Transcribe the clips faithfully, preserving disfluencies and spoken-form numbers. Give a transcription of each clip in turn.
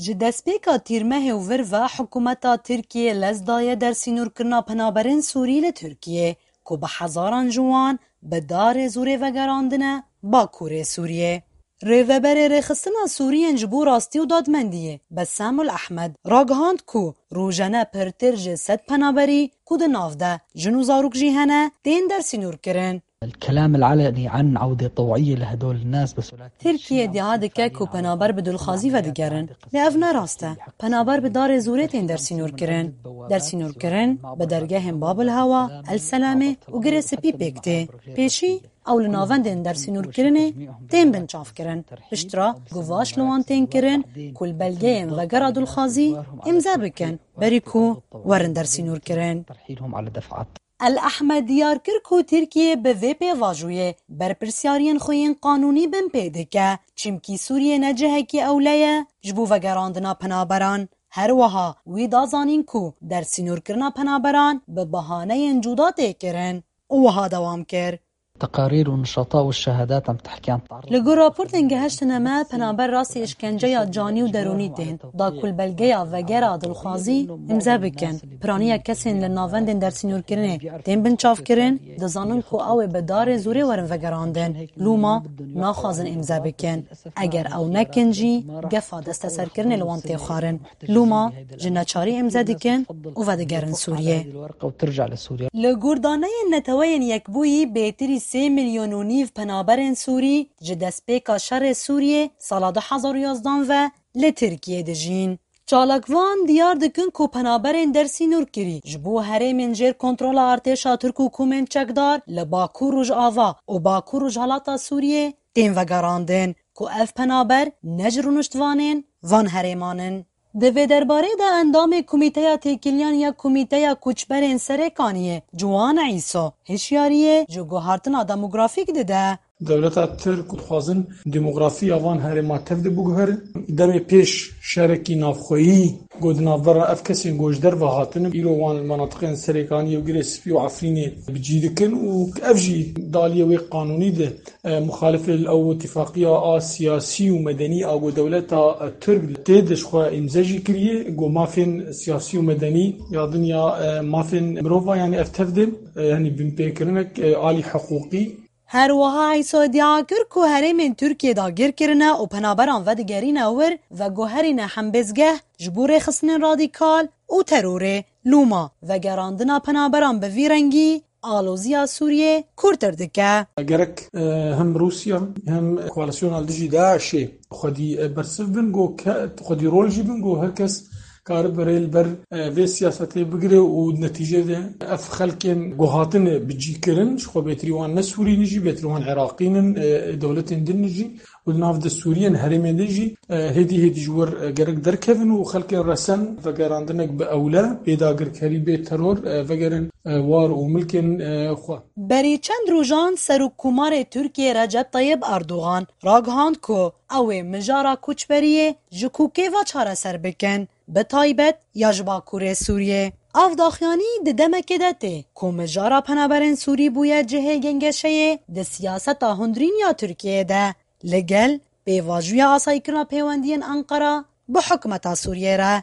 Ji destpêka tîrmehê û vir ve hikûmeta Tirkiyê lez daye dersînorkirina penaberên Sûrî li Tirkiyê, ku bi hezaran ji wan bi darê zûrê vegerandine Bakurê Sûriyê. Rêveberê Rêxistina Sûriyên ji bo Rastî û Dadmendiyê, Besamul Ehmed, ragihand ku rojane pirtir ji sed penaberî ku di nav de jin û zarok jî hene, tên dersînorkirin. الكلام العلني عن عودة طوعية لهدول الناس بس ولا Tirkiye iddia dike ku penaber bi dilxwazî vedigerin. Lê ev ne rast e. Penaber bi darê zûrê tên dersînorkirin. Dersînorkirin bi dergehên Babul Hewa, El Selamê û Girê Spî pêk tê. Pêşî ew li navendên dersînorkirinê tên binçavkirin. Piştre guvaş li wan tên kirin ku li belgeyên vegera dilxwazî îmze bikin, berî ku werin dersînorkirin. ترحيلهم على دفعات. El Ehmed diyar kir ku Tirkiye bi vê pêvajoyê berpirsyariyên xwe yên qanûnî binpê dike, çimkî Sûriye ne cihekî ewle ye ji bo vegerandina penaberan. Her wiha wî da zanîn ku dersînorkirina penaberan bi bahaneyên cuda tê kirin û wiha dewam kir. تقارير والنشاطات والشهادات عم تحكي عن تعرض Li gor raportên gehiştine me, penaber rastî îşkenceya canî û derûnî tên da ku li belgeya vegera dilxwazî îmze bikin. Piraniya kesên li navendên dersînorkirinê tên binçavkirin, dizanin ku ew ê bi darê zûrê werin vegerandin. Lûma naxwazin îmze bikin. Eger ew nekin jî, gefa desteserkirinê li wan tê xwarin. Lûma ji neçarî îmze dikin û vedigerin Sûriyê. الورقة وترجع لسوريا. Li gor daneyên Neteweyên Yekbûyî, bêtirî sê milyon û nîv penaberên Sûrî ji destpêka şerê Sûriyê sala du hezar û yazdan ve li Tirkiyê dijîn. Çalakvan diyar dikin ku penaberên dersînorkirî ji bo herêmên jêr kontrola artêşa Tirk û komên çekdar li Bakur Rojava û Bakur Rojhilata Sûriyê tên vegerandin, ku ev penaber ne ji rûniştvanên van herêman in. Di vê derbarê de endamê Komîteya Têkiliyan ya Komîteya Koçberên Serêkaniyê, Ciwan Îso, hişyariyê ji guhartina demografîk dide. Dewleta Tirk dixwazin demografiya van herêma tev de biguherin. Demê pêş şerekî navxweyî ku di navbera ev kesên ku ji derve hatine, îro wan li menatiqên Serêkaniyê û Girê Spî û Efrînê bi cî dikin û ev jî di aliyê wê qanûnî de e, muxalifê li ew îtifaqiya a siyasî û medenî a ku dewleta, e, Tirk tê de ji xwe îmze jî kiriye, ku mafên siyasî û medenî ya dinya, e, mafên mirova, yanî ev tev de, e, yanî binpêkirinek, e, alî hiqûqî. Her wiha Îso îdia kir ku herêmên Tirkiyê dagir kirine û penaberan vedigerîne wir, veguherîne hembêzgeh ji bo rêxistinên radîkal û terorê. Lûma vegerandina penaberan bi vî rengî aloziya Sûriyê kûrtir dike. Gerek, e, hem Rûsya hem koalîsyona li dijî DAIŞê xwedî, e, bersiv bin, ku ke-, xwedî rol jî bin, ku her kes karibe rê li ber, e, vê siyasetê bigire û netîce de ev xelkên ku hatine bi cî kirin, ji xwe bêtirî wan ne Sûrî ne jî, bêtirî wan Iraqî nin, e, dewletên din ne jî. Û di nav de Sûriyên herêmê de jî, e, hêdî hêdî ji wir, e, gerek derkevin û xelkên resen vegerandinek bi ewle, bê dagirkerî, bê teror, e, vegerin, e, war û milkên, e, xwe. Berî çend rojan Serokkomarê Tirkiyê Recep Tayyip Erdogan ragihand ku ew ê mijara koçberiyê ji kokê ve çareser bikin, bi taybet ya ji Bakurê Sûriyê. Ev daxuyanî di demekê de tê ku mijara penaberên Sûrî bûye cihê gengeşeyê di siyaseta hundirîn ya Tirkiyeyê de. Li gel pêvajoya asayîkirina pêwendiyên Enqera bi hikûmeta Sûriyê re.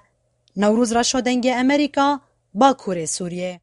Newroz Reşo, Dengê Amerîka, Bakurê Sûriyê.